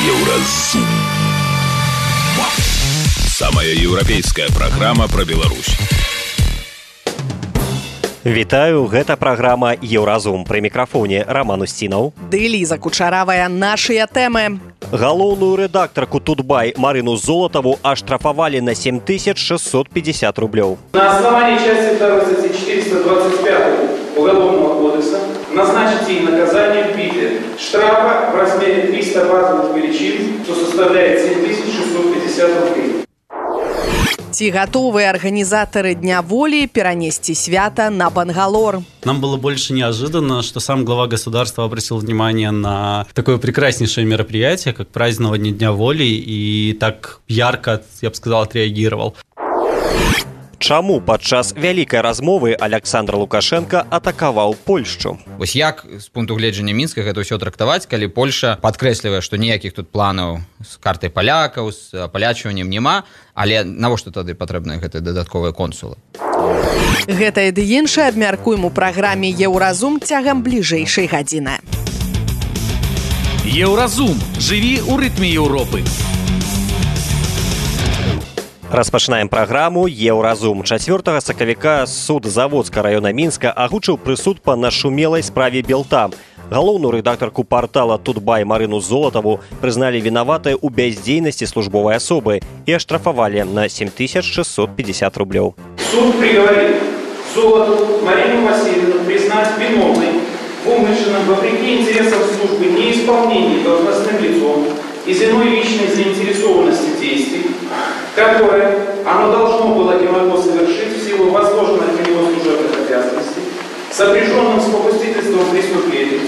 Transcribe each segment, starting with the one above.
Еўразум. Самая еўрапейская праграма пра Беларусь. Вітаю, гэта праграма «Еўразум». Пры мікрафоне Роман Устінаў. Ды Ліза Кучаравая. Нашыя тэмы. Галоўную рэдактарку «Тутбай» Марину Золотову оштрафовали на 7650 рублёў. На основании части 2 статьи 425 Уголовного кодекса назначить ей наказание в виде штрафа в размере 300 базовых величин, что составляет 7650 рублей. Ці готовые организаторы Дня воли перенести свято на Бангалор? Нам было больше неожиданно, что сам глава государства обратил внимание на такое прекраснейшее мероприятие, как празднование Дня воли, и так ярко, я бы сказал, отреагировал. Чаму падчас вялікай размовы Александр Лукашенко атакаваў Польшчу? Вось як з пункту гледжання Мінска гэта ўсё трактаваць, калі Польша падкрэслівае, што ніякіх тут планаў з картай палякаў, з апалячваннем няма, але навошта тады патрэбныя гэтыя дадатковыя консулы? Гэтае ды іншае абмяркуем у праграме «Еўразум» цягам бліжэйшай гадзіны. Еўразум. Жыві ў рытме Еўропы. Распачынаем праграму «Еўразум». 4 сакавіка суд Заводскага раёна Мінска агучыў прысуд па нашумелай справе Белта. Галоўную рэдактарку партала «Тутбай» Марину Золотову прызналі вінаватай у бяздзейнасці службовай асобы і аштрафавалі на 7650 рублёў. Суд приговорил Золотову Марину Васильевну признать виновной в умышленном, вопреки интересам службы, неисполнении должностным лицом из иной личной заинтересованности действий, которое оно должно было и могло совершить в силу возложенных на него служебных обязанностей, сопряженным с попустительством преступлений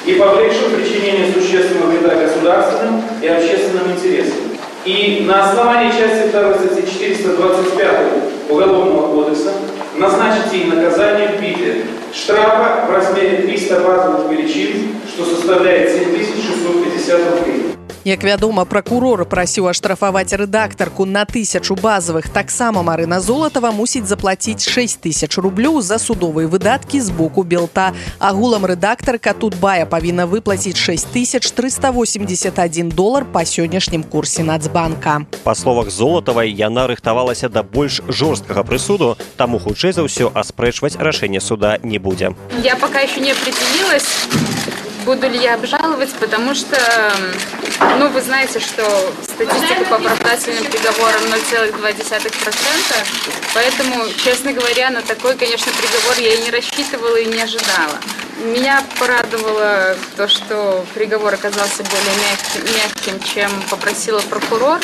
и повлекшим причинение существенного вреда государственным и общественным интересам. И на основании части 2 статьи 425 Уголовного кодекса назначить ей наказание в виде штрафа в размере 300 базовых величин, что составляет 7650 рублей. Як вядома, пракурор прасіў аштрафаваць рэдактарку на 1000 базавых. Таксама Марина Золотова мусіць заплаціць 6000 рублёў за судовыя выдаткі з боку Белта. Агулам рэдактарка «Тутбая» павінна выплаціць $6381 па сённяшнім курсе Нацбанка. Па словах Золотавай, яна рыхтавалася да больш жорсткага прысуду, таму хутчэй за ўсё аспрэчваць рашэнне суда не будзе. Я пока еще не определилась, буду ли я обжаловать, потому что, вы знаете, что статистика по оправдательным приговорам 0,2%, поэтому, честно говоря, на такой, конечно, приговор я и не рассчитывала, и не ожидала. Меня порадовало то, что приговор оказался более мягким, чем попросила прокурор.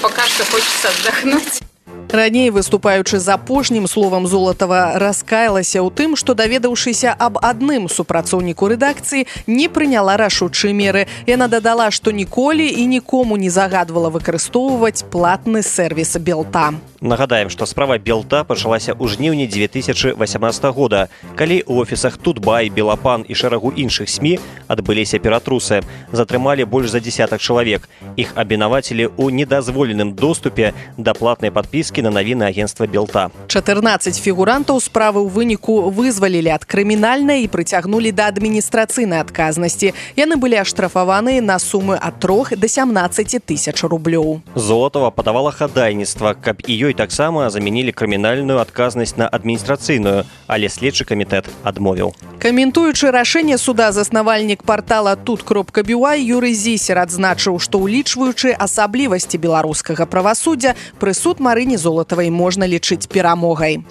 Пока что хочется отдохнуть. Раней, выступаючы з апошнім словам, Золотова раскаялася ў тым, што, даведаўшыся аб адным супрацоўніку рэдакцыі, не прыняла рашучыя меры. Яна дадала, што ніколі і нікому не загадвала выкарыстоўваць платны сервіс Белта. Нагадаем, што справа Белта пачалася ў жніўні 2018 года, калі ў офісах «Тутбай», «Белапан» і шэрагу іншых СМІ адбыліся ператрусы. Затрымалі больш за десятак чалавек. Іх абвінавацілі ў недазволеным доступе да платнай падпіскі на навіны агенцтва Белта. 14 фігурантаў справы ў выніку вызвалілі ад крымінальнай і прыцягнулі да адміністрацыйнай адказнасці. Яны былі аштрафаваныя на сумы ад 3 до 17 тысяч рублёў. Золотова падавала хадайніцтва, каб і ёй таксама замянілі крымінальную адказнасць на адміністрацыйную, але следчы камітэт адмовіў. Каментуючы рашэнне суда, заснавальнік партала тут.бюай Юрый Зісер адзначыў, што улічваючы асаблівасці беларускага правасуддзя, прысуд Марыне Золотавай можна лічыць перамогай.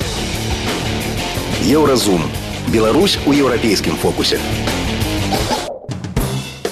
Еўразум. Беларусь у еўрапейскім фокусе.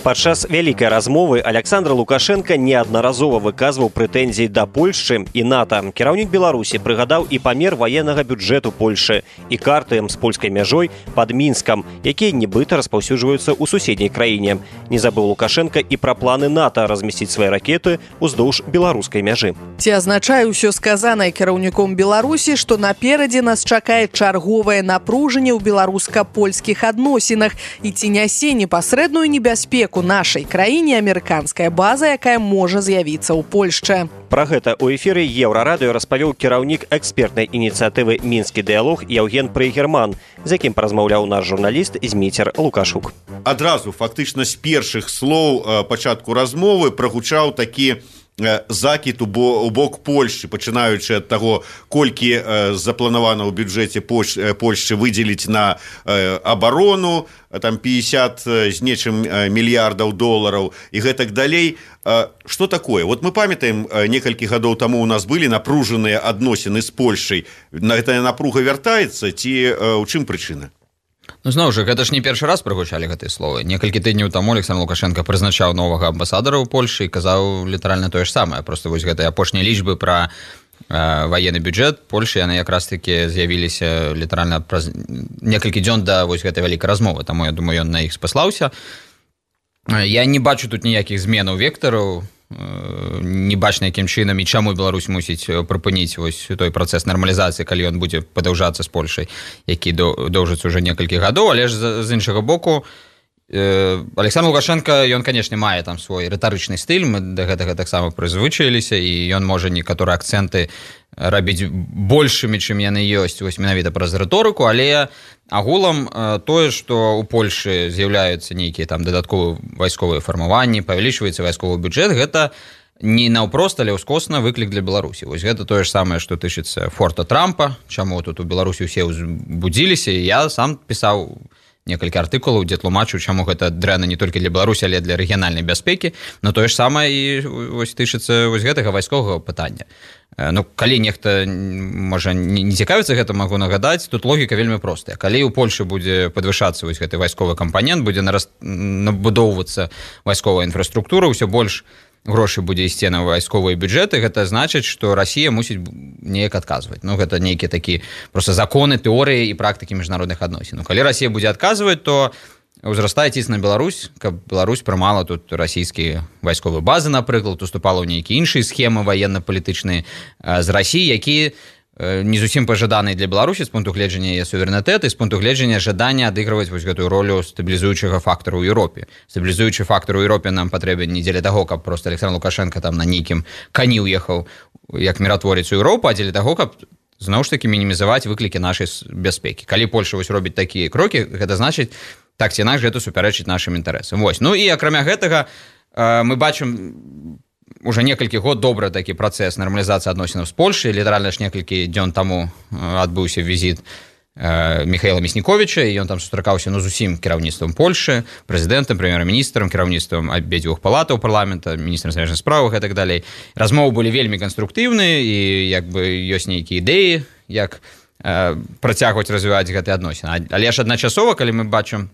Падчас вялікай размовы Александр Лукашенко неаднаразова выказваў прэтэнзіі да Польшчы і НАТО. Кіраўнік Беларусі прыгадаў і памер ваеннага бюджэту Польшы і карты з польскай мяжой пад Мінскам, якія нібыта распаўсюджваюцца ў суседняй краіне. Не забыў Лукашенко і пра планы НАТО размясціць свае ракеты ўздоўж беларускай мяжы. Ці азначае ўсё сказанае кіраўніком Беларусі, што наперадзе нас чакае чарговае напружанне ў беларуска-польскіх адносінах і ці нясе непасрэдную небяспеку нашай краіне амерыканская база, якая можа з'явіцца ў Польшчы. Пра гэта ў эфіры Еўрарадыё распавёў кіраўнік экспертнай ініцыятывы «Мінскі дыялог» Яўген Прыгерман, з якім паразмаўляў наш журналіст Зміцер Лукашук. Адразу, фактычна, з першых слоў пачатку размовы прагучаў такі закід у бок Польшчы, пачынаючы ад таго, колькі запланавана ў бюджэце Польшчы выдзеліць на абарону, там 50 з нечым мільярдаў долараў і гэтак далей. Што такое? Вот мы памятаем, некалькі гадоў таму у нас былі напружаныя адносіны з Польшчай. Гэтая напруга вяртаецца ці ў чым прычына? Ну, зноў жа, гэта ж не першы раз прагучалі гэтыя словы. Некалькі тыдняў таму Александр Лукашенко прызначаў новага амбасадара ў Польшы і казаў літаральна тое ж самае. Проста вось гэтыя апошнія лічбы пра ваенны бюджэт Польшы, яны якраз такі з'явіліся літаральна праз некалькі дзён да вось гэтай вялікай размовы. Таму, я думаю, ён на іх спаслаўся. Я не бачу тут ніякіх зменаў вектараў, не бачна, якім чынам і чаму Беларусь мусіць прыпыніць вось той працэс нармалізацыі, калі ён будзе падаўжацца з Польшай, які доўжыцца ўжо некалькі гадоў, але ж з іншага боку Александр Лукашенко, ён, канешне, мае там свой рытарычны стыль, мы да гэтага таксама прызвычаіліся, і ён можа некаторыя акцэнты рабіць большымі, чым яны ёсць, вось менавіта праз рыторыку, але агулам тое, што ў Польшы з'яўляюцца нейкія там дадатковыя вайсковыя фармаванні, павялічваецца вайсковы бюджэт, гэта не наўпрост, але ўскосна выклік для Беларусі. Вось гэта тое ж самае, што тычыцца форта Трампа, чаму тут у Беларусі ўсе ўзбудзіліся, і я сам пісаў некалькі артыкулаў, дзе тлумачу, чаму гэта дрэнна не толькі для Беларусі, але для рэгіянальнай бяспекі, но тое ж самае і вось тычыцца вось гэтага вайсковага пытання. Ну, калі нехта, можа, не цікавіцца гэта, магу нагадаць, тут логіка вельмі простая. Калі ў Польшы будзе падвышацца вось гэты вайсковы кампанент, будзе набудоўвацца вайсковая інфраструктура, ўсё больш грошай будзе ісці на вайсковыя бюджэты, гэта значыць, што Расія мусіць неяк адказваць. Ну, гэта нейкія такі проста законы, тэорыі і практыкі міжнародных адносін. Ну, калі Расія будзе адказваць, то ўзрастае ціск на Беларусь, каб Беларусь прымала тут расійскія вайсковыя базы, напрыклад, уступала ў нейкія іншыя схемы ваенна-палітычныя з Расіі, якія не зусім пажаданыя для Беларусі з пункту гледжання яе суверэнітэта і з пункту гледжання жадання адыгрываць вось гэтую ролю стабілізуючага фактару ў Еўропе. Стабілізуючы фактар у Еўропе нам патрэбен не дзеля таго, каб проста Александр Лукашенко там на нейкім кані ўехаў як міратворец у Еўропу, а дзеля таго, каб зноў ж такі мінімізаваць выклікі нашай бяспекі. Калі Польша вось робіць такія крокі, гэта значыць, так ці інакш гэта супярэчыць нашым інтарэсам. Вось. Ну і акрамя гэтага мы бачым уже некалькі год добры такі працэс нармалізацыі адносінаў з Польшай. Літаральна ж некалькі дзён таму адбыўся візіт Михаила Мясніковіча, і ён там сустракаўся з усім кіраўніцтвам Польшы, прэзідэнтам, прэм'ер-міністрам, кіраўніцтвам абедзвюх палатаў парламента, міністрам замежных справах і так далей. Размовы былі вельмі канструктыўныя, і як бы ёсць нейкія ідэі, як працягваць развіваць гэтыя адносіны. Але ж адначасова, калі мы бачым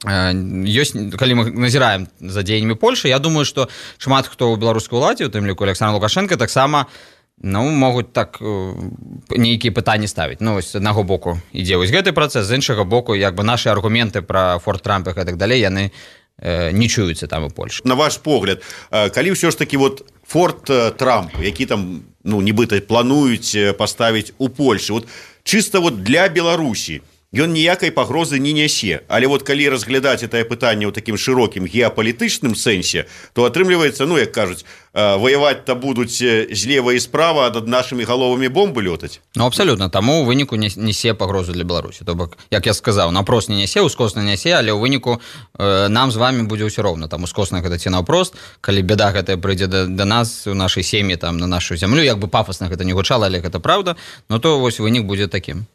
ёсць, калі мы назіраем за дзеяннямі Польшы, я думаю, што шмат хто ў беларускай уладзе, у тым ліку Александр Лукашенко, таксама могуць так нейкія пытанні ставіць. Ну, з аднаго боку ідзе вось гэты працэс, з іншага боку, як бы нашы аргументы пра форт Трампа і так далей, яны не чуюцца там у Польшы. На ваш погляд, калі ўсё ж такі вот форт Трамп, які там, ну, нібыта плануюць паставіць у Польшы, вот чыста вот для Беларусі, ён ніякай пагрозы не нясе. Але вот калі разглядаць гэтае пытанне ў такім шырокім геапалітычным сэнсе, то атрымліваецца, ну, як кажуць, ваяваць-то будуць злева і справа, а над нашымі галовамі бомбы лётаць. Ну, абсалютна. Таму ў выніку нясе пагрозу для Беларусі. То бок, як я сказаў, напрост не нясе, ускосна нясе, але ў выніку нам з вамі будзе ўсё роўна. Там ускосна гэта ці наўпрост, калі бяда гэтая прыйдзе да нас, у нашай сем'і, там, на нашу зямлю, як бы пафасна гэта не гучала, але гэта праўда, ну то вось вынік будзе такім.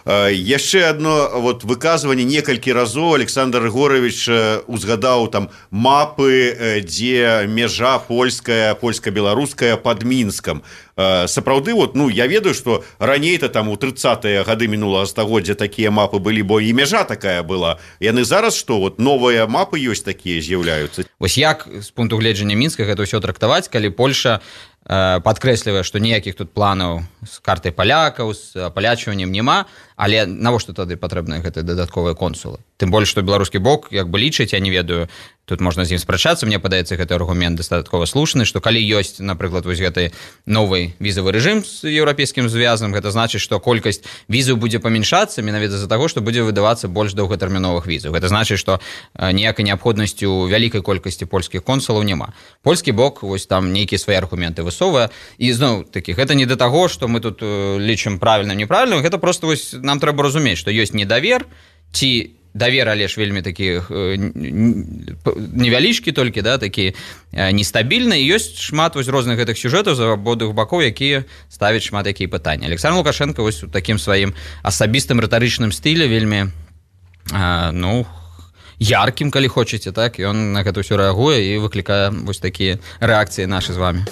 Яшчэ одно вот выказванне некалькі разоў Александр Григорович узгадаў там мапы, дзе мяжа польска-беларуская пад Мінскам. Сапраўды, вот, ну, я ведаю, што раней-то там у 30-е гады мінулага стагоддзя такія мапы былі, бо і мяжа такая была. Яны зараз што, вот новыя мапы ёсць такія з'яўляюцца? Вось як з пункту гледжання Мінска гэта ўсё трактаваць, калі Польша падкрэслівае, што ніякіх тут планаў з картай палякаў, з апалячваннем няма, але навошта тады патрэбныя гэтыя дадатковыя консулы? тым больш што беларускі бок як бы лічыць, я не ведаю, тут можна з ім спрачацца, мне падаецца гэты аргумент дастаткова слушны, што калі ёсць, напрыклад, вось гэты новы візавы рэжым з еўрапейскім звязам, гэта значыць, што колькасць візаў будзе памяншацца менавіта з-за таго, што будзе выдавацца больш доўгатэрміновых візаў. Гэта значыць, што ніякай неабходнасці ў вялікай колькасці польскіх консулаў няма. Польскі бок вось там нейкія свае аргументы высоввае, і зноў такі гэта не да таго, што мы тут лічым правільным, неправільным, гэта проста вось нам трэба разумець, што ёсць недавер ці давер, але ж вельмі такі невялічкі толькі, да, такі нестабільны, і ёсць шмат вось розных гэтых сюжэтаў з абодвух бакоў, якія ставяць шмат якія пытанні. Александр Лукашенко вось у такім сваім асабістым рытарычным стылі вельмі яркім, калі хочаце, так, і ён на гэта ўсё рэагуе і выклікае вось такія рэакцыі нашы з вамі.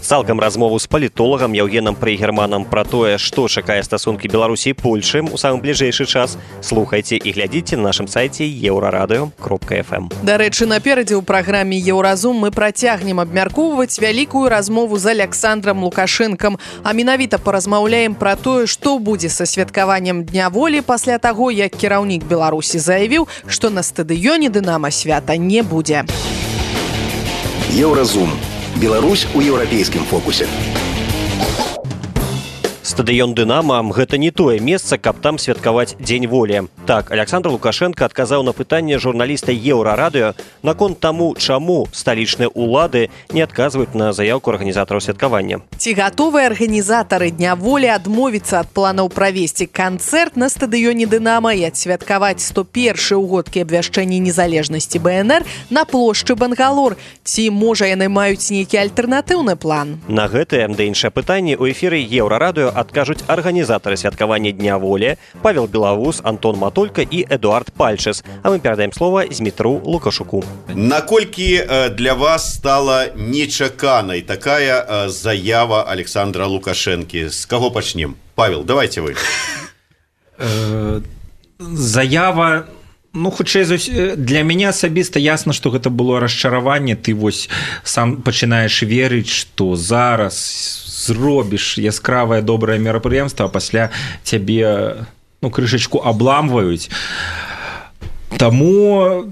Цалкам размову з палітолагам Яўгенам Прыгерманам пра тое, што чакае стасункі Беларусі і Польшы ў самы бліжэйшы час, слухайце і глядзіце на нашым сайце euraradыо.fm. Дарэчы, наперадзе ў праграме «Еўразум» мы працягнем абмяркоўваць вялікую размову з Александром Лукашэнкам, а менавіта паразмаўляем пра тое, што будзе са святкаваннем Дня волі пасля таго, як кіраўнік Беларусі заявіў, што на стадыёне «Дынама» свята не будзе. Еўразум. Беларусь у еўрапейскім фокусе. Стадыён «Дынама» – гэта не тое месца, каб там святкаваць Дзень волі. Так, Александр Лукашенко адказаў на пытанне журналіста «Еўрарадыё» наконт таму, чаму сталічныя ўлады не адказваюць на заяўку арганізатараў святкавання. Ці гатовыя арганізатары Дня волі адмовіцца ад планаў правесці канцэрт на стадыёне «Дынама» і адсвяткаваць 101-й угодкі абвяшчэння незалежнасці БНР на плошчы Бангалор? Ці, можа, яны маюць нейкі альтэрнатыўны план? На гэтае да іншае пытанне ў эфіры «Еўрарадыё» адкажуць арганізатары святкавання Дня волі Павел Белавус, Антон Матолька і Эдуард Пальчыс. А мы перадаем слова Змітру Лукашуку. Наколькі для вас стала нечаканай такая заява Александра Лукашэнкі? З каго пачнем? Павел, давайте вы. Заява... хутчэй для мяне асабіста ясна, што гэта было расчараванне. Ты вось сам пачынаеш верыць, што зараз зробіш яскравае добрае мерапрыемства, а пасля цябе крышачку абламваюць. Таму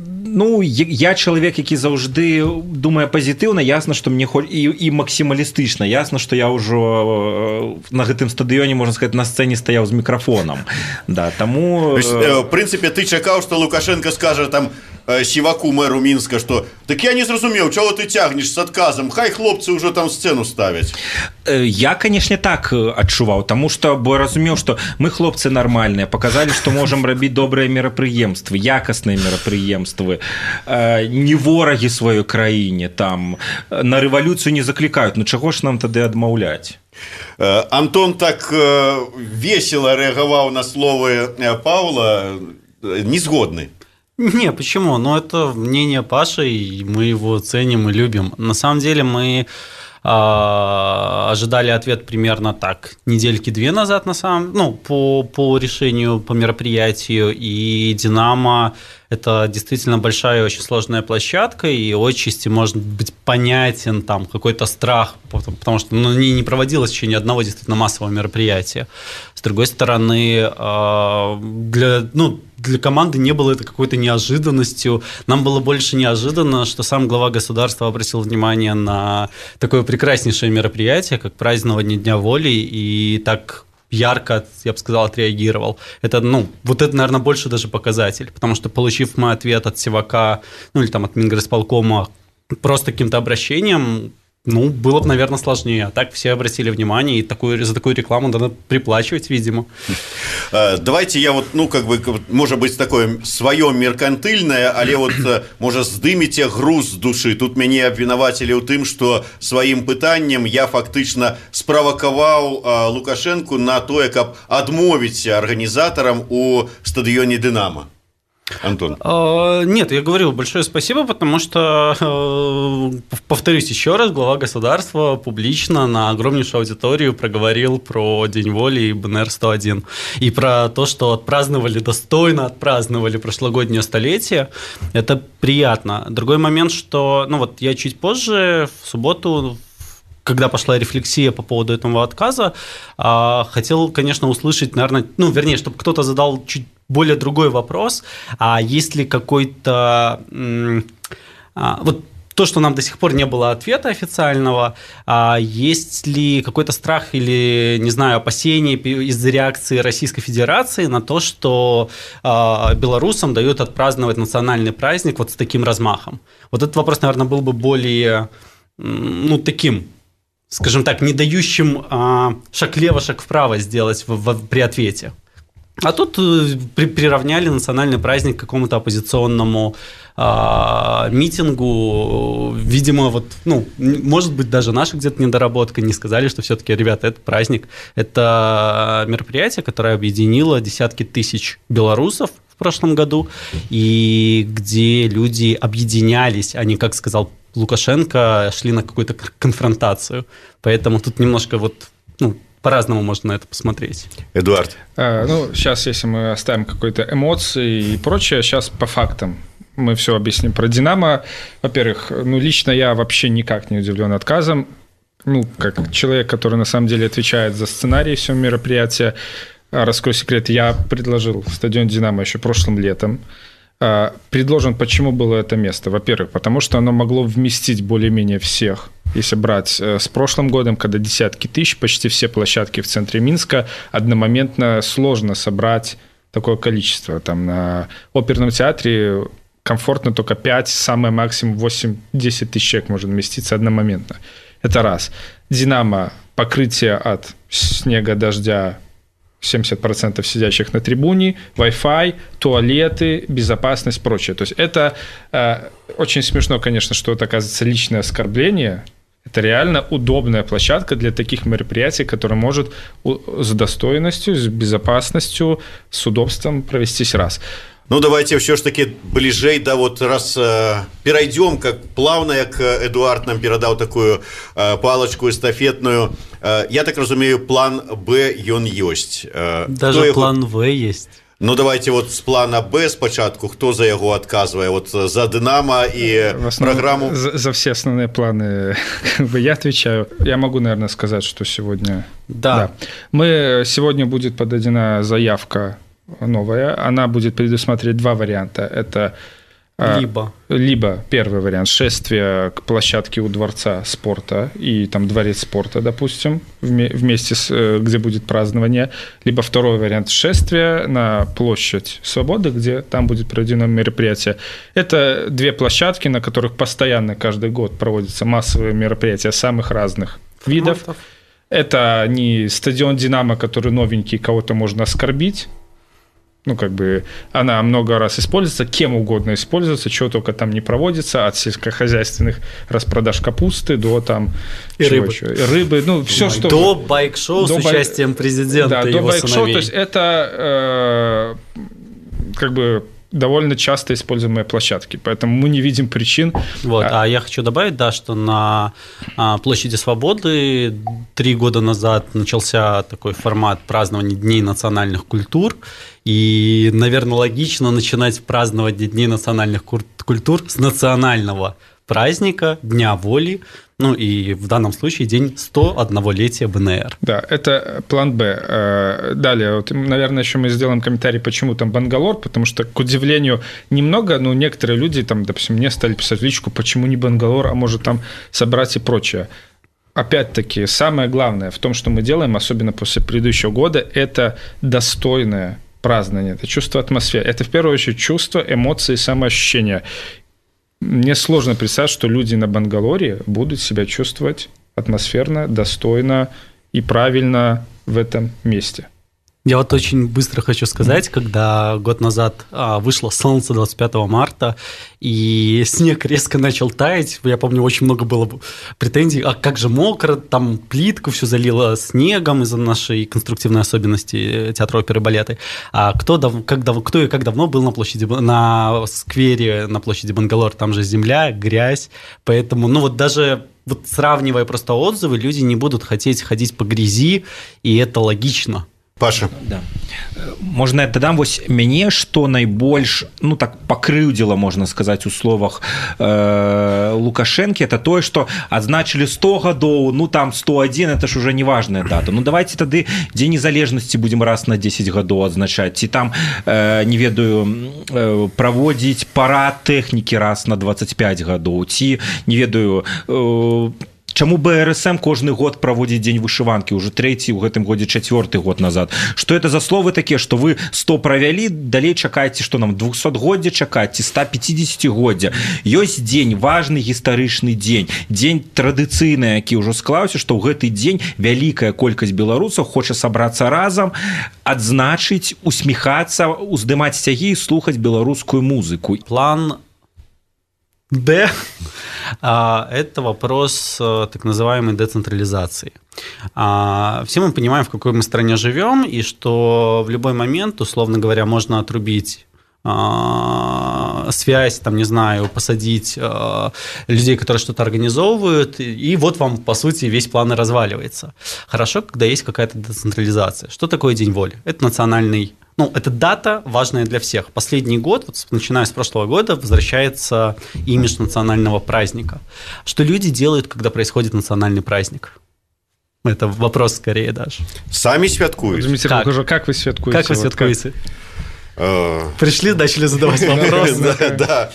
я чалавек, які заўжды думае пазітыўна, ясна, што мне і максімалістычна, ясна, што я ўжо на гэтым стадыёне, можна сказаць, на сцэне стаяў з мікрафонам. Да, таму... В прынцыпе, ты чакаў, што Лукашенко скажа там Сіваку, мэру Мінска, што «Так я не зразумеў, чаго ты цягнеш з адказам, хай хлопцы ўжо там сцэну ставяць». Я, канешне, так адчуваў, таму што бо разумеў, што мы хлопцы нармальныя, паказалі, што можам рабіць добрыя мерапрыемствы, якасныя мерапрыемствы, не ворагі сваёй краіне, там на рэвалюцыю не заклікаюць, чаго ж нам тады адмаўляць? Антон так весело рэагаваў на словы Павла, не згодны. Не, почему? Это мнение Паши, и мы его ценим и любим. На самом деле мы ожидали ответ примерно так, недельки-две назад, по решению, по мероприятию, и «Динамо» – это действительно большая и очень сложная площадка, и отчасти может быть понятен там какой-то страх, потому что не проводилось еще ни одного действительно массового мероприятия. С другой стороны, для команды не было это какой-то неожиданностью. Нам было больше неожиданно, что сам глава государства обратил внимание на такое прекраснейшее мероприятие, как празднование Дня воли, и так ярко, я бы сказал, отреагировал. Это, это, наверное, больше даже показатель, потому что, получив мы ответ от Сивака, или там от Минграсполкома просто каким-то обращением, было бы, наверное, сложнее. А так все обратили внимание, и за такую рекламу надо приплачивать, видимо. Давайте я может быть, такое свое меркантыльное, але может, здымите груз с души. Тут меня обвинуватели у тым, что своим пытанием я фактично спровоковал Лукашенко на то, как отмовить организаторам у стадионе «Динамо». Антон. Нет, я говорил большое спасибо, потому что, повторюсь еще раз, глава государства публично на огромнейшую аудиторию проговорил про День воли и БНР-101. И про то, что достойно отпраздновали прошлогоднее столетие. Это приятно. Другой момент, что я чуть позже, в субботу, когда пошла рефлексия по поводу этого отказа, хотел, конечно, услышать, наверное, чтобы кто-то задал чуть более другой вопрос. А есть ли какой-то... Вот то, что нам до сих пор не было ответа официального, есть ли какой-то страх или, не знаю, опасения из-за реакции Российской Федерации на то, что белорусам дают отпраздновать национальный праздник вот с таким размахом? Вот этот вопрос, наверное, был бы более, таким, скажем так, не дающим шаг влево, шаг вправо сделать при ответе. А тут приравняли национальный праздник к какому-то оппозиционному митингу. Видимо, может быть, даже наша где-то недоработка, не сказали, что все-таки, ребята, это праздник. Это мероприятие, которое объединило десятки тысяч белорусов в прошлом году, и где люди объединялись, а не, как сказал Лукашенко, шли на какую-то конфронтацию. Поэтому тут немножко по-разному можно на это посмотреть. Эдуард. Сейчас, если мы оставим какие-то эмоции и прочее, сейчас по фактам мы все объясним про «Динамо». Во-первых, лично я вообще никак не удивлен отказом. Как человек, который на самом деле отвечает за сценарий всего мероприятия, раскрою секрет, я предложил стадион «Динамо» еще прошлым летом. Предложен, почему было это место? Во-первых, потому что оно могло вместить более-менее всех. Если брать с прошлым годом, когда десятки тысяч, почти все площадки в центре Минска, одномоментно сложно собрать такое количество. Там на оперном театре комфортно только 5, самое максимум 8-10 тысяч человек может вместиться одномоментно. Это раз. «Динамо» покрытие от снега, дождя, 70% сидящих на трибуне, Wi-Fi, туалеты, безопасность, прочее. То есть это очень смешно, конечно, что это, оказывается, личное оскорбление. Это реально удобная площадка для таких мероприятий, которая может с достоинностью, с безопасностью, с удобством провестись раз. Давайте все ж таки бліжэй раз перайдём, как плавно, як Эдуард нам перадаў такую палочку эстафетную. Я так разумею, план Б ён ёсць. Даже план В есть. Давайте с плана Б спачатку, хто за яго адказвае, за «Динамо» и программу. За все основные планы я отвечаю. Я могу, наверное, сказать, что сегодня... Да. Сегодня будет подадена заявка новая, она будет предусматривать два варианта. Это либо первый вариант – шествие к площадке у Дворца спорта и там Дворец спорта, допустим, вместе где будет празднование, либо второй вариант – шествие на площадь Свободы, где там будет проведено мероприятие. Это две площадки, на которых постоянно каждый год проводятся массовые мероприятия самых разных видов. Это не стадион «Динамо», который новенький, кого-то можно оскорбить. Она много раз используется, кем угодно используется, чего только там не проводится, от сельскохозяйственных распродаж капусты до там рыбы, все, что... До байк-шоу с участием президента и его сыновей. То есть это довольно часто используемые площадки, поэтому мы не видим причин. А я хочу добавить, что на площади Свободы 3 года назад начался такой формат празднования Дней национальных культур, и, наверное, логично начинать праздновать Дни национальных культур с национального праздника, Дня воли, и в данном случае день 101-летия БНР. Да, это план Б. Далее, наверное, еще мы сделаем комментарий, почему там Бангалор, потому что, к удивлению, немного, но некоторые люди, допустим, мне стали писать в личку, почему не Бангалор, а может там собрать и прочее. Опять-таки, самое главное в том, что мы делаем, особенно после предыдущего года, это достойное празднование, это чувство атмосферы, это в первую очередь чувство, эмоции, самоощущения. Мне сложно представить, что люди на Бангалоре будут себя чувствовать атмосферно, достойно и правильно в этом месте. Я очень быстро хочу сказать, когда год назад вышло солнце 25 марта, и снег резко начал таять, я помню, очень много было претензий, а как же мокро, там плитку все залило снегом из-за нашей конструктивной особенности театра оперы и балета. А кто и как давно был на сквере на площади Бангалор, там же земля, грязь, поэтому, даже... сравнивая просто отзывы, люди не будут хотеть ходить по грязи, и это логично. Паша. Да. Можна я дадам вось мяне, што найбольш ну так пакрыўдзіла, можна сказаць, у словах Лукашэнкі, это тое, што адзначылі 100 гадоў, ну там 101, это ж уже неважная дата. Ну давайте тады Дзень незалежнасці будзем раз на 10 гадоў адзначаць, ці там не ведаю праводзіць парад тэхнікі раз на 25 гадоў, ці не ведаю чаму БРСМ кожны год праводзіць дзень вышыванкі, уже 3-й, у гэтым годзе 4-й год назад. Што это за словы такія, што вы 100 правялі, далей чакаеце, што нам 200годдзя чакаць, ці 150годдзя. Ёсць дзень, важны гістарычны дзень, дзень традыцыйны, які ўжо склаўся, што ў гэты дзень вялікая колькасць беларусаў хоча сабрацца разам, адзначыць, усміхацца, уздымаць сцягі і слухаць беларускую музыку. План Д – это вопрос так называемой децентрализации. Все мы понимаем, в какой мы стране живем, и что в любой момент, условно говоря, можно отрубить связь, там, не знаю, посадить людей, которые что-то организовывают, и вот вам, по сути, весь план и разваливается. Хорошо, когда есть какая-то децентрализация. Что такое День воли? Это национальный... Ну, это дата важная для всех. Последний год, вот, начиная с прошлого года, возвращается имидж национального праздника. Что люди делают, когда происходит национальный праздник? Это вопрос скорее даже. Сами святкуют. Как вы святкуете? Как вы святкуете? Пришли, начали задавать вопросы. Да.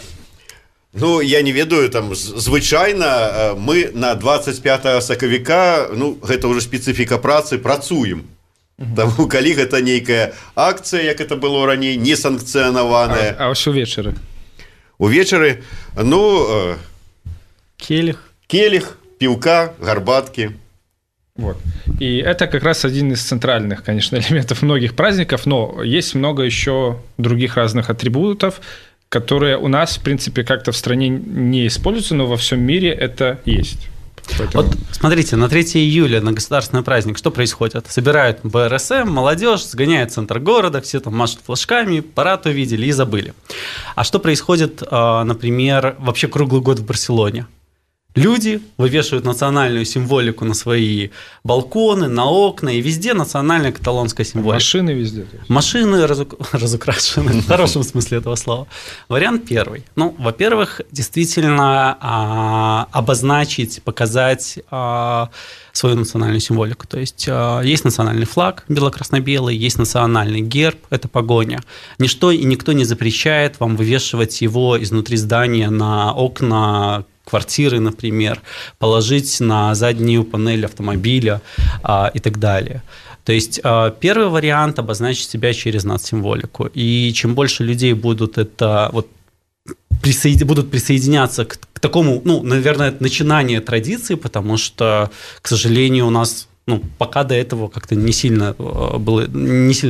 Ну, я не ведаю, там, звычайна мы на 25 сакавіка, ну, гэта ўжо спецыфіка працы, працуем. Таму, калі гэта нейкая акцыя, як это было раней, не санкцыянаваная. А ўсё вечары? Увечары, ну... Келих, піўка, гарбаткі. Вот. И это как раз один из центральных, конечно, элементов многих праздников, но есть много еще других разных атрибутов, которые у нас, в принципе, как-то в стране не используются, но во всем мире это есть. Поэтому... Вот смотрите, на 3 июля, на государственный праздник, что происходит? Собирают БРСМ, молодежь, сгоняют в центр города, все там машут флажками, парад увидели и забыли. А что происходит, например, вообще круглый год в Барселоне? Люди вывешивают национальную символику на свои балконы, на окна, и везде национальная каталонская символика. Машины везде. Машины разукрашены, в хорошем смысле этого слова. Вариант первый. Ну, во-первых, действительно обозначить, показать свою национальную символику. То есть есть национальный флаг бело-красно-белый, есть национальный герб, это погоня. Ничто и никто не запрещает вам вывешивать его изнутри здания на окна квартиры, например, положить на заднюю панель автомобиля и так далее. То есть первый вариант – обозначить себя через нацсимволику. И чем больше людей будут это вот будут присоединяться к такому, ну, наверное, начинанию традиции, потому что, к сожалению, у нас пока до этого как-то не сильно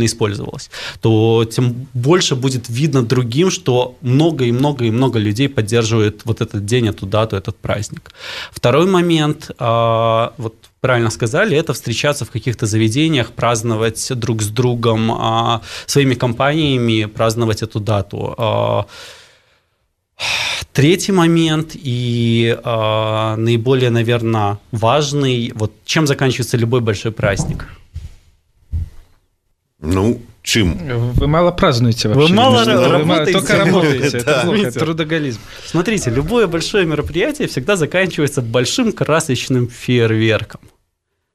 использовалось, то тем больше будет видно другим, что много людей поддерживает вот этот день, эту дату, этот праздник. Второй момент, вот правильно сказали, это встречаться в каких-то заведениях, праздновать друг с другом, своими компаниями, праздновать эту дату. Третий момент и наиболее, наверное, важный, вот чем заканчивается любой большой праздник? Ну, чем? Вы мало празднуете вообще. Вы мало работаете. Только работаете. Да. Это плохо, это трудоголизм. Смотрите, любое большое мероприятие всегда заканчивается большим красочным фейерверком.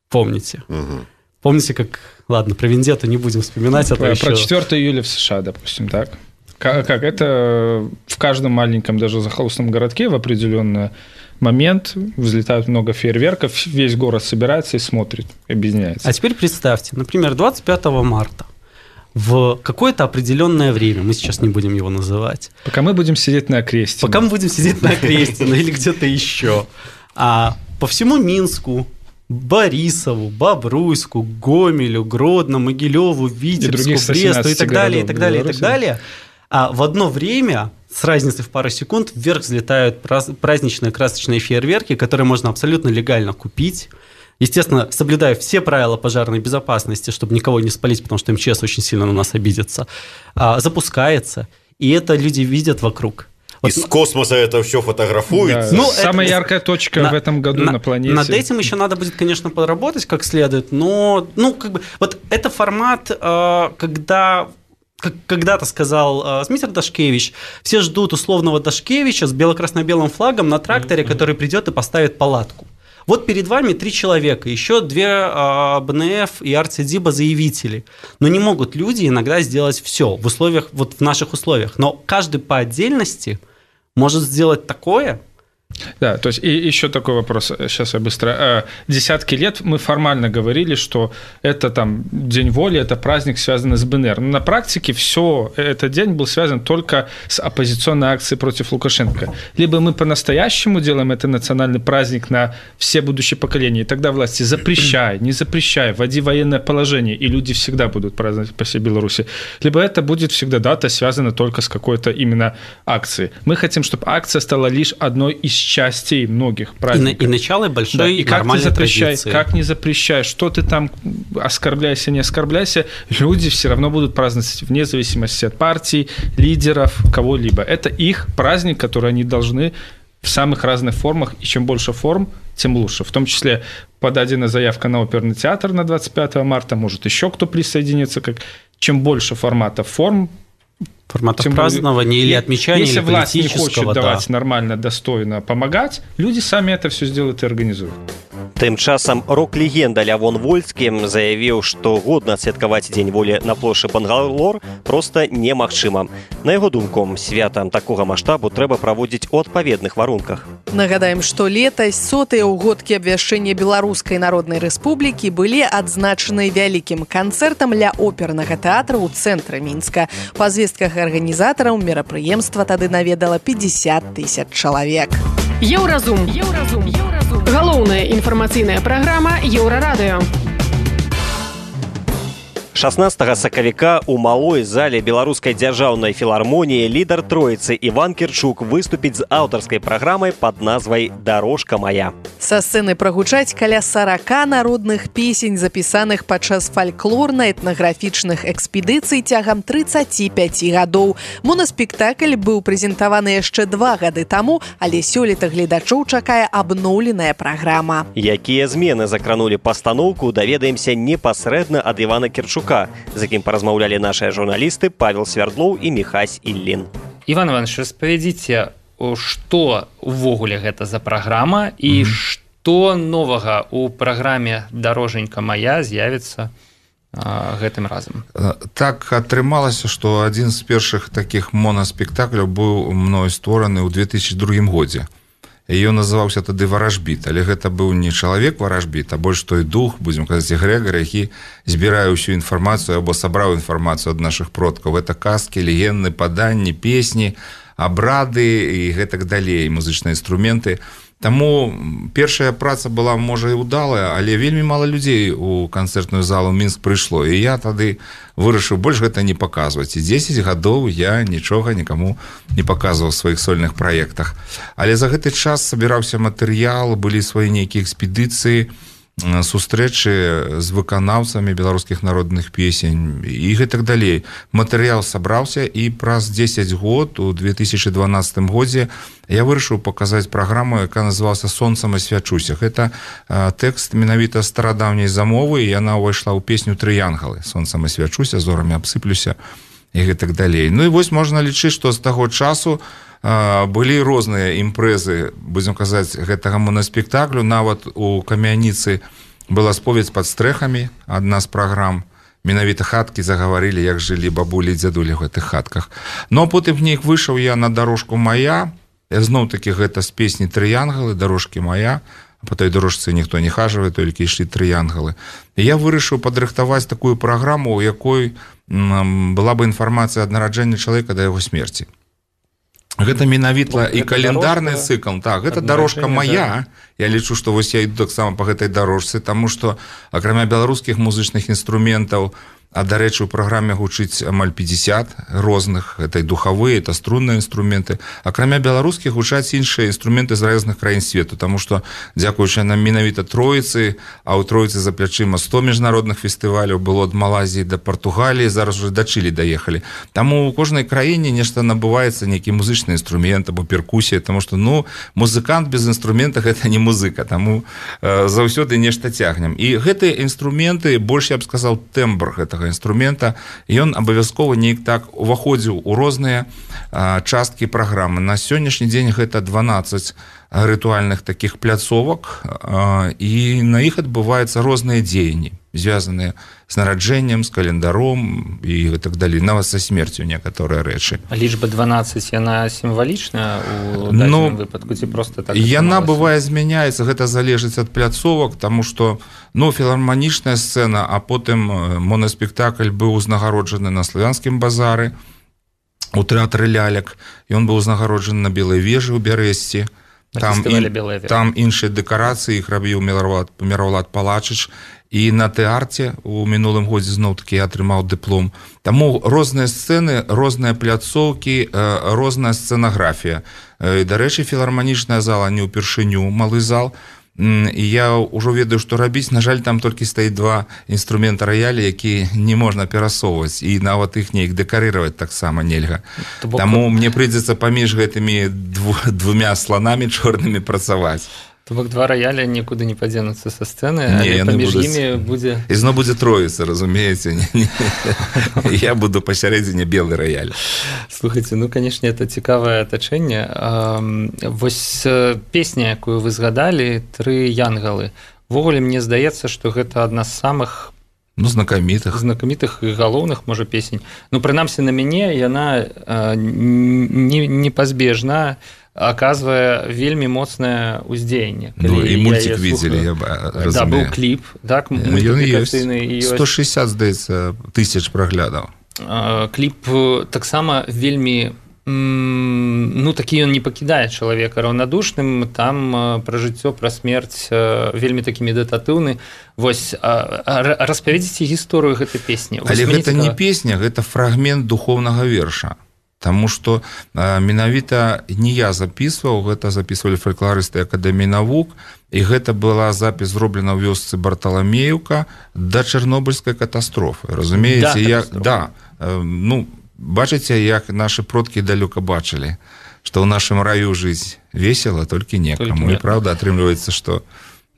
Помните? Угу. Помните, как... Ладно, про Вендетту не будем вспоминать. Про 4 июля в США, допустим, так? Как это в каждом маленьком, даже захолустном городке в определенный момент взлетают много фейерверков, весь город собирается и смотрит, объединяется. А теперь представьте, например, 25 марта в какое-то определенное время, мы сейчас не будем его называть. Пока мы будем сидеть на Окрестино. Пока мы будем сидеть на Окрестино или где-то еще. А по всему Минску, Борисову, Бобруйску, Гомелю, Гродно, Могилеву, Витебску, Бресту и так далее, и так далее, и так далее. А в одно время, с разницей в пару секунд, вверх взлетают праздничные красочные фейерверки, которые можно абсолютно легально купить. Естественно, соблюдая все правила пожарной безопасности, чтобы никого не спалить, потому что МЧС очень сильно на нас обидится, запускается. И это люди видят вокруг. Из космоса это все фотографуется. Да, самая яркая точка в этом году на планете. Над этим еще надо будет, конечно, поработать как следует, но вот это формат, когда... Как когда-то сказал Смитер Дашкевич, все ждут условного Дашкевича с бело-красно-белым флагом на тракторе, который придет и поставит палатку. Вот перед вами 3 человека, еще 2 БНФ и РЦДИБа-заявители. Но не могут люди иногда сделать все в условиях, вот в наших условиях. Но каждый по отдельности может сделать такое. Да, то есть и еще такой вопрос, сейчас я быстро. Десятки лет мы формально говорили, что это там День воли, это праздник, связанный с БНР. Но на практике все этот день был связан только с оппозиционной акцией против Лукашенко. Либо мы по-настоящему делаем это национальный праздник на все будущие поколения, и тогда власти запрещай, не запрещай, вводи военное положение, и люди всегда будут праздновать по всей Беларуси. Либо это будет всегда дата, связана только с какой-то именно акцией. Мы хотим, чтобы акция стала лишь одной из частей многих праздников. И начало большой, да, и как не запрещай, как не запрещай, что ты там оскорбляйся, не оскорбляйся, люди все равно будут праздновать вне зависимости от партий, лидеров, кого-либо. Это их праздник, который они должны в самых разных формах, и чем больше форм, тем лучше. В том числе подадена заявка на оперный театр на 25 марта, может еще кто присоединится. Чем больше форматов форм, форматов празднования или отмечания, если или власть не хочет политического, давать нормально, достойно помогать, люди сами это все сделают и организуют. Тым часам рок-легенда Лявон Вольскі заявіў, што годна адсвяткаваць Дзень волі на плошчы Бангалор проста немагчыма. На яго думку, свята такога маштабу трэба праводзіць у адпаведных варунках. Нагадаем, што летась 100-е ўгодкі абвяшчэння Беларускай Народнай Рэспублікі былі адзначаны вялікім канцэртам ля опернага тэатра ў цэнтры Мінска. Па звестках арганізатараў мерапрыемства тады наведала 50 000 чалавек. Еўразум. Галоўная інфармацыйная праграма Еўрарадыё. 16 сакавіка ў малой зале беларускай дзяржаўнай філармоніі лідар Троіцы Іван Кірчук выступіць з аўтарскай праграмай пад назвай «Дарожка моя». Са сцэны прагучаць каля 40 народных песень, запісаных падчас фальклорна-этнаграфічных экспедыцый цягам 35 гадоў. Монаспектакль быў прэзентаваны яшчэ 2 гады таму, але сёлета гледачоў чакае абноўленая праграма. Якія змены закранулі пастаноўку, даведаемся непасрэдна ад Івана Кірчука, з якім паразмаўлялі нашыя журналісты Павел Свярдлоў і Міхась Іллін. Іван Іванович, распавядзіце, што ўвогуле гэта за праграма і што новага ў праграме «Дароженька моя» з'явіцца гэтым разам? Так атрымалася, што адзін з першых такіх монаспектакляў быў мною створаны ў 2002 годзе. Ён называўся тады «Варажбіт», але гэта быў не чалавек-варажбіт, а больш той дух, будзем казаць, эгрэгар, які збірае ўсю інфармацыю або сабраў інфармацыю ад нашых продкаў. Гэта казкі, легенды, паданні, песні, абрады і гэтак далей, музычныя інструменты. Таму першая праца была, можа, і ўдалая, але вельмі мала людзей у канцэртную залу Мінск прыйшло. І я тады вырашыў больш гэта не паказваць. І 10 гадоў я нічога нікаму не паказваў у сваіх сольных праектах. Але за гэты час сабіраўся матэрыял, былі свае нейкія экспедыцыі, сустрэчы з выканаўцамі беларускіх народных песень і гэтак далей. Матэрыял сабраўся, і праз 10 год, у 2012 годзе, я вырашыў паказаць праграму, якая называлася «Сонцам асвячуся». Гэта тэкст менавіта старадаўняй замовы, і яна ўвайшла ў песню «Трыянгалы». «Сонцам асвячуся, зорамі абсыплюся» і гэтак далей. Ну і вось можна лічыць, што з таго часу былі розныя імпрэзы, будзем казаць, гэтага монаспектаклю. Нават у Камяніцы была споведь пад стрэхамі, адна з праграм. Менавіта хаткі загаварылі, як жылі бабулі і дзядулі ў гэтых хатках. Ну а потым неяк выйшаў я на «Дарожку моя». Зноў-такі гэта з песні «Трыянгалы», «Дарожкі моя». По той дорожцы ніхто не хажывае, толькі ішлі трыянгалы. І я вырашыў падрыхтаваць такую праграму, у якой была бы інфармацыя ад нараджэння чалавека да яго смерці. Гэта менавіта і календарны цыкл. Так, гэта «Дарожка моя». Я лічу, што вось я іду таксама па гэтай дарожцы, таму што акрамя беларускіх музычных інструментаў А, дарэчы, у праграме гучыць амаль 50 розных, это і духавыя, это струнныя інструменты. Акрамя беларускіх гучаць іншыя інструменты з розных краін свету, таму што, дзякуючы нам менавіта Троіцы, а ў Троіцы за плячыма 100 міжнародных фестываляў, было ад Малайзіі да Партугаліі, зараз уже да Чылі даехалі. Таму ў кожнай краіне нешта набываецца, нейкі музычны інструмент або перкусія, таму што, музыкант без інструмента гэта не музыка, таму заўсёды нешта цягнем. І гэтыя інструменты, больш я б сказаў, тэмбр гэтага інструмента, ён абавязкова неяк так уваходзіў у розныя часткі праграмы. На сённяшні дзень гэта 12 рытуальных такіх пляцовак, і на іх адбываюцца розныя дзеянні, звязаныя з нараджэннем, з календаром і так далей, нават са смерцю некаторыя рэчы. Лічба 12, яна сімвалічная ў дадзеным выпадку, ці проста так? Яна бывае змяняецца, гэта залежыць ад пляцовак, таму што філарманічная сцэна, а потым монаспектакль быў узнагароджаны на Славянскім базары, у тэатры лялек, ён быў узнагароджаны на Белай вежы ў Бярэсці. Там іншыя дэкарацыі, іх рабіў Міравлад Палачыч, і на тэарце у мінулым годзе зноў-такі я атрымаў дыплом. Таму розныя сцэны, розныя пляцоўкі, розная сцэнаграфія. Дарэчы, філарманічная зала не ўпершыню, малы зал, і я ўжо ведаю, што рабіць. На жаль, там толькі стаіць 2 інструмента раялі, якія не можна перасоўваць, і нават іх неяк дэкарыраваць таксама нельга. Таму мне прыйдзецца паміж гэтымі 2 сланамі чорнымі працаваць. То бок 2 раяля нікуды не падзенуцца са сцэны, але паміж імі будзе... Ізно будзе Троіца, разумееце? Я буду пасярэдзіне белы раяль. Слухайце, канешне, это цікавае атачэнне. Вось песня, якую вы згадалі, «Тры янгалы». Ввогуле, мне здаецца, што гэта адна з самых знакамітых і галоўных, можа, песень. Прынамсі, на мяне яна непазбежна аказвае вельмі моцнае ўздзеянне. І мультик видели, я разумею. Да, быў кліп, так, мультиплікацыйны. 160, здаецца, тысяч праглядаў. Кліп таксама вельмі, такі ён не пакідае чалавека раўнадушным, там пра жыццё, пра смерць вельмі такі медытатыўны. Вось, распавядзіце гісторыю гэтай песні. Але гэта не песня, гэта фрагмент духоўнага верша. Таму што менавіта не я записываў, гэта записывалі фалькларысты Акадэміі навук, і гэта была запіс зроблена ў вёсцы Барталамеўка да Чарнобыльскай катастрофы. Разумееце, бачыце, як нашы продкі далёка бачылі, што ў нашым раю жыць весела, толькі некаму. І правда, атрымліваецца, што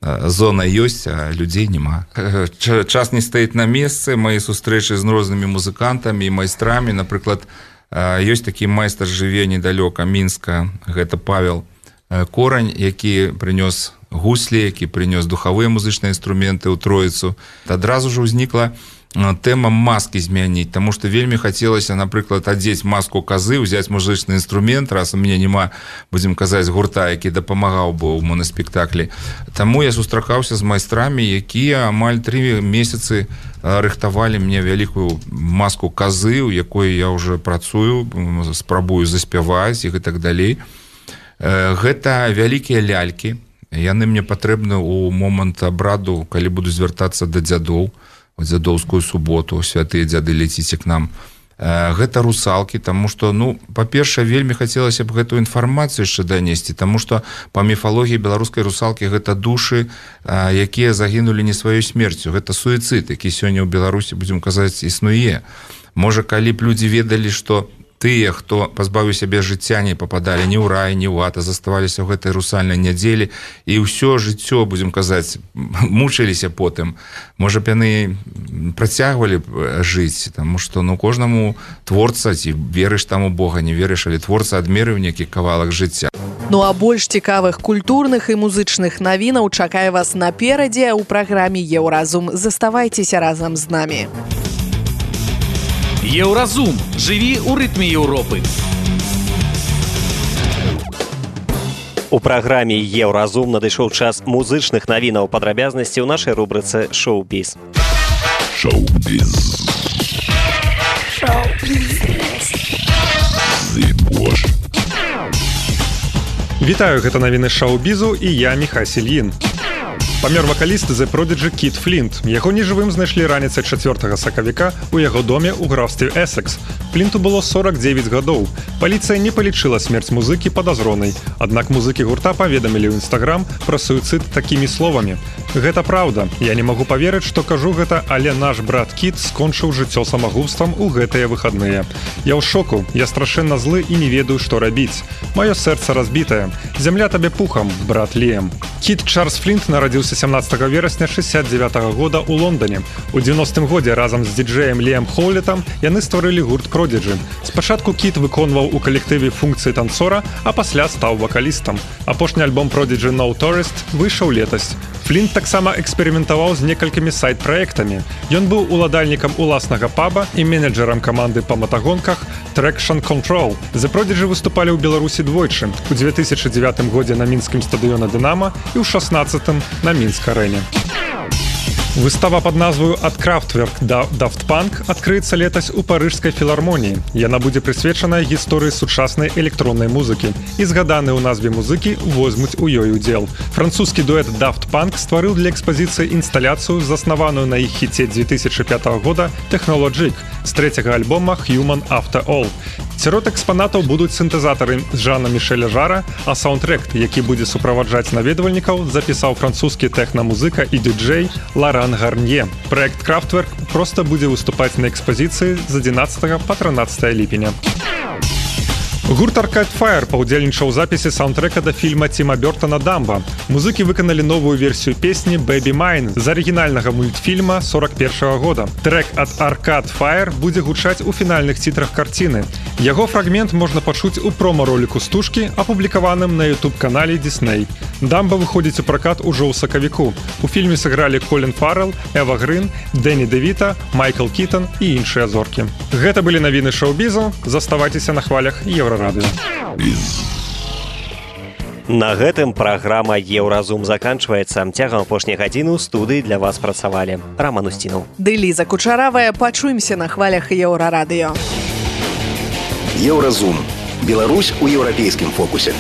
зона ёсць, а людзей няма. Час не стаіць на месцы, мои сустрэчы з рознымі музыкантамі і майстрамі, напрыклад, ёсць такі майстар, жыве недалёка Мінска, гэта Павел Корань, які прынёс гуслі, які прынёс духавыя музычныя інструменты ў Троіцу. Адразу ж узнікла тэма маскі змяніць, таму што вельмі хацелася, напрыклад, адзець маску казы, узяць музычны інструмент, раз у мяне няма, будзем казаць, гурта, які дапамагаў бы ў монаспектаклі. Таму я сустракаўся з майстрамі, якія амаль 3 месяцы рыхтавалі мне вялікую маску казы, у якой я ўжо працую, спрабую заспяваць і так далей. Гэта вялікія лялькі, яны мне патрэбны ў момант абраду, калі буду звяртацца да дзядоў, у дзядоўскую суботу, святыя дзяды, леціце к нам. Гэта русалкі, таму што, па-першае, вельмі хацелася б гэтую інфармацыю яшчэ данесці, таму што па міфалогіі беларускай русалкі гэта душы, якія загінулі не сваёй смерцю. Гэта суіцыд, які сёння ў Беларусі, будзем казаць, існуе. Можа, калі б людзі ведалі, што тыя, хто пазбавіў сябе жыцця, не пападалі ні ў рай, ні ў ад, а заставаліся ў гэтай русальнай нядзелі, і ўсё жыццё, будзем казаць, мучыліся потым. Можа б яны працягвалі жыць, таму што кожнаму творца, ці верыш там у Бога, не верыш, але творца адмерыў нейкі кавалак жыцця. А больш цікавых культурных і музычных навінаў чакае вас наперадзе ў праграме «Еўразум». Заставайцеся разам з намі. Еўразум. Жыві ў рытме Еўропы. У праграме «Еўразум» надышоў час музычных навінаў, падрабязнасці ў нашай рубрыцы «Шоу-біз». Шоу-біз. Вітаю, гэта навіны шоу-бізу і я, Міхась Ільін. Памёр вакаліст The Prodigy Кіт Флінт. Яго нежывым знайшлі раніцай 4 сакавіка ў яго доме ў графстве Эссекс. Флінту было 49 гадоў. Паліцыя не палічыла смерць музыкі падазронай. Аднак музыкі гурта паведамілі ў Інстаграм пра суіцыд такімі словамі. Гэта праўда. Я не магу паверыць, што кажу гэта, але наш брат Кіт скончыў жыццё самагубствам у гэтыя выхадныя. Я ў шоку, я страшэнна злы і не ведаю, што рабіць. Маё сэрца разбітае. Зямля табе пухам, брат Ліэм. Кіт Чарльз Флінт нарадзіўся 17 верасня 69 года ў Лондоне. У 90-м годзе разам з діджэем Ліэм Хоулетам яны стварылі гурт Prodigy. Спачатку Кіт выконваў у калектыве функцыі танцора, а пасля стаў вакалістам. Апошні альбом Prodigy No Tourist выйшаў летась. Флінт таксама эксперыментаваў з некалькімі сайт-праектамі. Ён быў уладальнікам уласнага паба і менеджерам каманды па матагонках Traction Control. The Prodigy выступалі ў Беларусі двойчы. У 2009 годзе на мінскім стадыёне «Дынама» і ў 16-м на Мінск-арэне. Выстава пад назваю «Ад Крафтверк да Daft Punk» адкрыецца летась у парыжскай філармоніі. Яна будзе прысвечаная гісторыі сучаснай электроннай музыкі. І згаданыя ў назве музыкі возьмуць у ёй удзел. Французскі дуэт Daft Punk стварыў для экспазіцыі інсталяцыю, заснаваную на іх хіце 2005 года «Technologic» з трэцяга альбома «Human After All». Сярод экспанатаў будуць сінтэзатары Жана Мішэля Жара, а саундтрэк, які будзе суправаджаць наведвальнікаў, запісаў французскі тэхна-музыка і дыджэй Ларан Гарнье. Праект Крафтверк проста будзе выступаць на экспазіцыі з 11 па 13 ліпеня. Гурт Arcade Fire паўдзельнічаў у запісе саундтрэка да фільма Тіма Бёртана «Дамба». Музыкі выканалі новую версію песні «Baby Mine» з арыгінальнага мультфільма 41 года. Трэк ад Arcade Fire будзе гучаць у фінальных цітрах карціны. Яго фрагмент можна пачуць у промо-роліку стужкі, апублікаваным на YouTube-канале Disney. «Дамба» выходзіць у пракат ужо ў сакавіку. У фільме сыгралі Колін Фаррелл, Эва Грын, Дэні Дэвіта, Майкл Кітон і іншыя зоркі. Гэта былі навіны шоу-бізу. Заставайцеся на хвалях Еўрарадыё. На гэтым праграма «Еўразум» заканчваецца. Цягам апошняй гадзіны ў студыі для вас працавалі Раман Устінаў. Ды Ліза Кучаравая. Пачуемся на хвалях Еўрарадыё. Еўразум. Беларусь у еўрапейскім фокусе.